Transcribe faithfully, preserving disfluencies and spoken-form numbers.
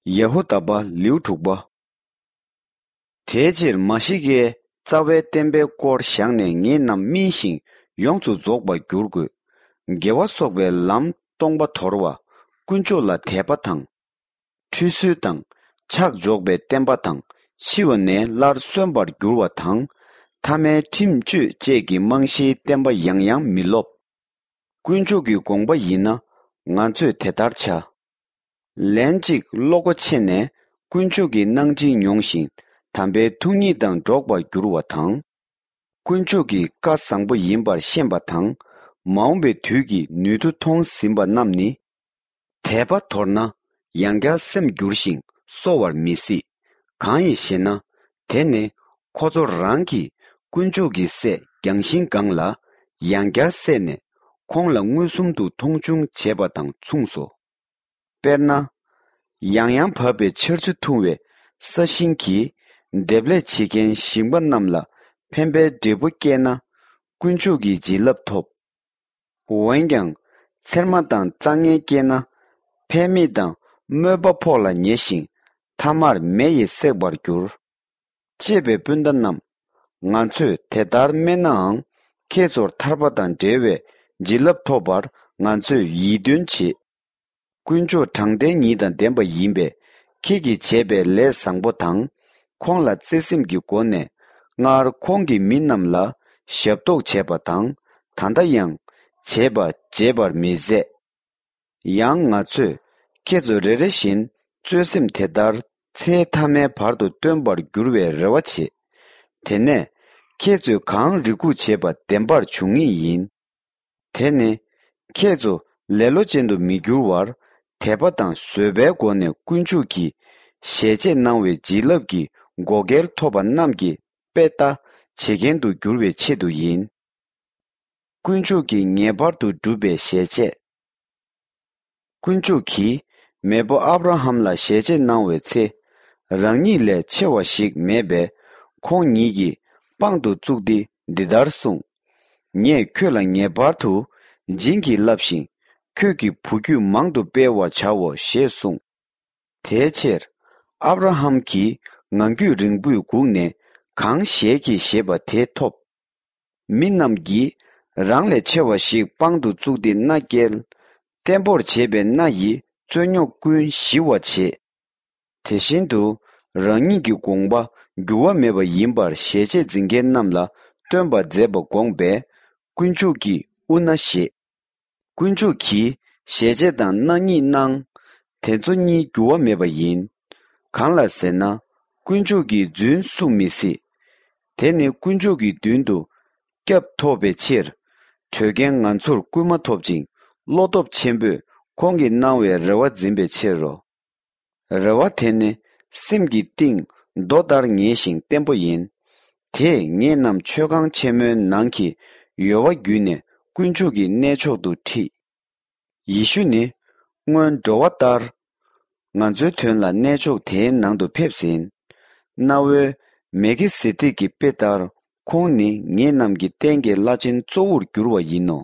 ཡ་ཧུ་དཱ་པ་ལེའུ་དྲུག་པ། དེའི་ཕྱིར་མཱ་ཤི་ཀའི་རྩ་བའི་བསྟན་པའི་སྐོར་བཞག་ནས་ངེད་རྣམས་སྨིན་ཞིང་ཡོངས་སུ་རྫོགས་པར་འགྱུར་དགོས། དགེ་བ་གསོག་པའི་ལམ་སྟོང་པ་དོར་བ། དཀོན་མཆོག་ལ་དད་པ་དང་། ཁྲུས་གསོལ་དང་། ཕྱག་འཇོག་པའི་བསྟན་པ་དང་། འཆི་བ་ནས་སླར་གསོན་པར་འགྱུར་བ་དང་། ཐ་མའི་ཁྲིམས་གཅོད་བཅས་ཀྱི་རྨང་གཞིའི་བསྟན་པ་ཡང་ཡང་མི་སློབ། དཀོན་མཆོག་གི་དགོངས་པ་ཡིན་ན། ང་ཚོས་དེ་ལྟར་བྱ། ལན་གཅིག་བློ་སྒོ་ཕྱེ་ནས་དཀོན་མཆོག་གི་གནང་སྦྱིན་མྱོང་ཞིང་དམ་པའི་ཐུགས་ཉིད་དང་འགྲོགས་པར་འགྱུར་བ་དང་། དཀོན་མཆོག་གི་བཀའ་བཟང་པོ་ཡིན་པར་ཤེས་པ་དང་། མ་འོངས་པའི་དུས་ཀྱི་ནུས་མཐུ་མཐོང་ཟིན་པ་རྣམས་ནི། དད་པ་དོར་ན་ཡང་བསྐྱར་སེམས་འགྱུར་ཞིང་གསོ་བར་མི་སྲིད། གང་ཡིན་ཞེ་ན། དེ་ནི་ཁོ་ཚོ་རང་གིས་དཀོན་མཆོག་གི་སྲས་རྒྱང་ཤིང་སྒང་ལ་ཡང་བསྐྱར་བསད་ནས་ཁོང་ལ་མངོན་སུམ་དུ་མཐོང་ཆུང་བྱས་པ་དང་མཚུངས་སོ། དཔེར་ན། ཡང་ཡང་བབས་པའི་ཆར་ཆུ་འཐུང་བའི་ས་ཞིང་གིས་འདེབས་ལས་བྱེད་མཁན་ཞིང་པ་རྣམས་ལ་ཕན་པའི་འབྲས་བུ་སྐྱེས་ན་དཀོན་མཆོག་གི་བྱིན་རླབས་ཐོབ། འོན་ཀྱང་ཚེར་མ་དང་རྩྭ་ངན་སྐྱེས་ན་ཕན་མེད་དང་དམོད་པ་ཕོག་ལ་ཉེ་ཞིང་ཐ་མར་མེ་ཡིས་བསྲེགས་པར་འགྱུར། གཅེས་པའི་སྤུན་ཟླ་རྣམས། ང་ཚོས་དེ་ལྟར་སྨྲས་ནའང་ཁྱེད་ཚོར་ཐར་པ་དང་འབྲེལ་བའི་བྱིན་རླབས་ཐོབ་པར་ང་ཚོས་ཡིད་རྟོན་བྱེད། དཀོན་མཆོག་དྲང་བདེན་ཉིད་དང་ལྡན་པ་ཡིན་པས་ཁྱེད་ཀྱིས་བྱས་པའི་ལས་བཟང་པོ་དང་། ཁོང་ལ་བརྩེ་སེམས་ཀྱི་སྒོ་ནས་སྔར་ཁོང་གི་མི་རྣམས་ལ་ཞབས་ཏོག་བྱས་པ་དང་ད་ལྟ་ཡང་བྱས་པ་བརྗེད་པར་མི་མཛད། ཡང་ང་ཚོས་ཁྱེད་ཚོ་རེ་རེ་བཞིན་རྩོད་སེམས་དེ་ལྟར་ཚེ་ཐ་མའི་བར་དུ་བརྟན་པར་འགྱུར་བའི་རེ་བ་བྱེད། དེ་ནས་ཁྱེད་ཚོས་གང་རེ་སྒུག་བྱེད་པ་བདེན་པར་འབྱུང་ངེས་ཡིན། དེ་ནི་ཁྱེད་ཚོ་ལེ་ལོ་ཅན་དུ་མི་འགྱུར་བར་དད་པ་དང་བཟོད་པའི་སྒོ་ནས་དཀོན་མཆོག་གིས་ཞལ་ཆད་གནང་བའི་བྱིན་རླབས་ཀྱི་བགོ་སྐལ་ཐོབ་པ་རྣམས་ཀྱི་དཔེ་ལྟ་བྱེད་མཁན་དུ་འགྱུར་བའི་ཆེད་དུ་ཡིན། དཀོན་མཆོག་གིས་ངེས་པར་དུ་བསྒྲུབས་པའི་ཞལ་ཆད། དཀོན་མཆོག་གིས་མེས་པོ་ཨབ་ར་ཧམ་ལ་ཞལ་ཆད་གནང་བའི་ཚེ། རང་ཉིད་ལས་ཆེ་བ་ཞིག་མེད་པས་ཁོང་ཉིད་ཀྱིས་དཔང་དུ་བཙུགས་ཏེ་འདི་ལྟར་གསུངས། ངས་ཁྱོད་ལ་ངེས་པར་དུ་བྱིན་གྱིས་བརླབས་ཤིང་ཁྱོད་ཀྱི་བུ་རྒྱུད་མང་དུ་སྤེལ་བར་བྱའོ་ཞེས་གསུངས། དེའི་ཕྱིར་ཨབ་ར་ཧམ་གྱིས་ངང་རྒྱུད་རིང་པོས་སྒུག་ནས་གང་ཞལ་གྱིས་བཞེས་པ་དེ་ཐོབ། མི་རྣམས་ཀྱིས་རང་ལས་ཆེ་བ་ཞིག་དཔང་དུ་བཙུགས་ཏེ་མནའ་བསྐྱལ། བརྟན་པོར་བྱས་པའི་མནའ་ཡིས་རྩོད་རྙོག་ཀུན་ཞི་བར་བྱེད། དེ་བཞིན་དུ་རང་ཉིད་ཀྱི་དགོངས་པ་འགྱུར་བ་མེད་པ་ཡིན་པར་ཞལ་ཆད་འཛིན་མཁན་རྣམས་ལ་སྟོན་པར་མཛད་པ་དགོངས་པས་དཀོན་མཆོག་གིས་དབུ་མནའ་བཞེས། དཀོན་མཆོག་གིས་ཞལ་ཆད་དང་མནའ་གཉིས་གནང་། དེ་ཚོ་གཉིས་འགྱུར་བ་མེད་པ་ཡིན། གང་ལ་ཟེར་ན། དཀོན་མཆོག་གིས་རྫུན་གསུང་མི་སྲིད། དེ་ནི་དཀོན་མཆོག་གི་མདུན་དུ་སྐྱབས་ཐོབ་པའི་ཕྱིར། གྲོས་མཁན་ང་ཚོར་སྐུལ་མ་ཐོབ་ཅིང་བློ་སྟོབས་ཆེན་པོས་ཁོང་གིས་གནང་བའི་རེ་བ་འཛིན་པའི་ཕྱིར་རོ། རེ་བ་དེ་ནི་སེམས་ཀྱི་གཏིང་རྡོ་ལྟར་ངེས་ཤིང་བརྟན་པོ་ཡིན། དེས་ངེད་རྣམས་མཆོད་ཁང་ཆེན་མོའི་ནང་གི་ཡོལ་བ་བརྒྱུད་ནས་དཀོན་མཆོག་གི་གནས་མཆོག་ཏུ་ཁྲིད། ཡེ་ཤུ་ནི་སྔོན་འགྲོ་བ་ལྟར། ང་ཚོའི་དོན་ལ་གནས་མཆོག་དེའི་ནང་དུ་ཕེབས་ཟིན། གནའ་བོའི་མེ་ཁི་སེ་དེག་གི་དཔེ་ལྟར་ཁོང་ནི་ངེད་རྣམས་ཀྱི་རྟེན་གྱི་བླ་ཆེན་གཙོ་བོར་གྱུར་བ་ཡིན་ནོ།